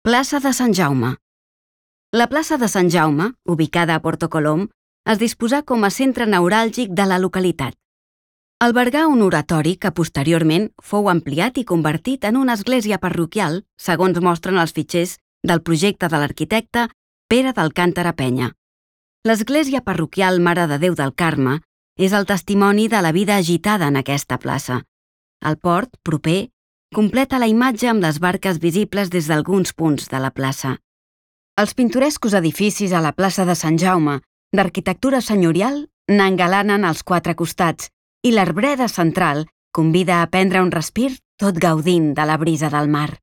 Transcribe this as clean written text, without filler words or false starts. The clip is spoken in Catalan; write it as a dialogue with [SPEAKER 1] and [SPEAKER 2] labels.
[SPEAKER 1] Plaça de Sant Jaume. La plaça de Sant Jaume, ubicada a Porto Colom, es disposà com a centre neuràlgic de la localitat. Albergà un oratori que posteriorment fou ampliat i convertit en una església parroquial, segons mostren els fitxers del projecte de l'arquitecte Pere d'Alcàntara Penya. L'església parroquial Mare de Déu del Carme és el testimoni de la vida agitada en aquesta plaça. El port, proper, completa la imatge amb les barques visibles des d'alguns punts de la plaça. Els pintorescos edificis a la plaça de Sant Jaume, d'arquitectura senyorial, n'engalanen als quatre costats i l'arbreda central convida a prendre un respir tot gaudint de la brisa del mar.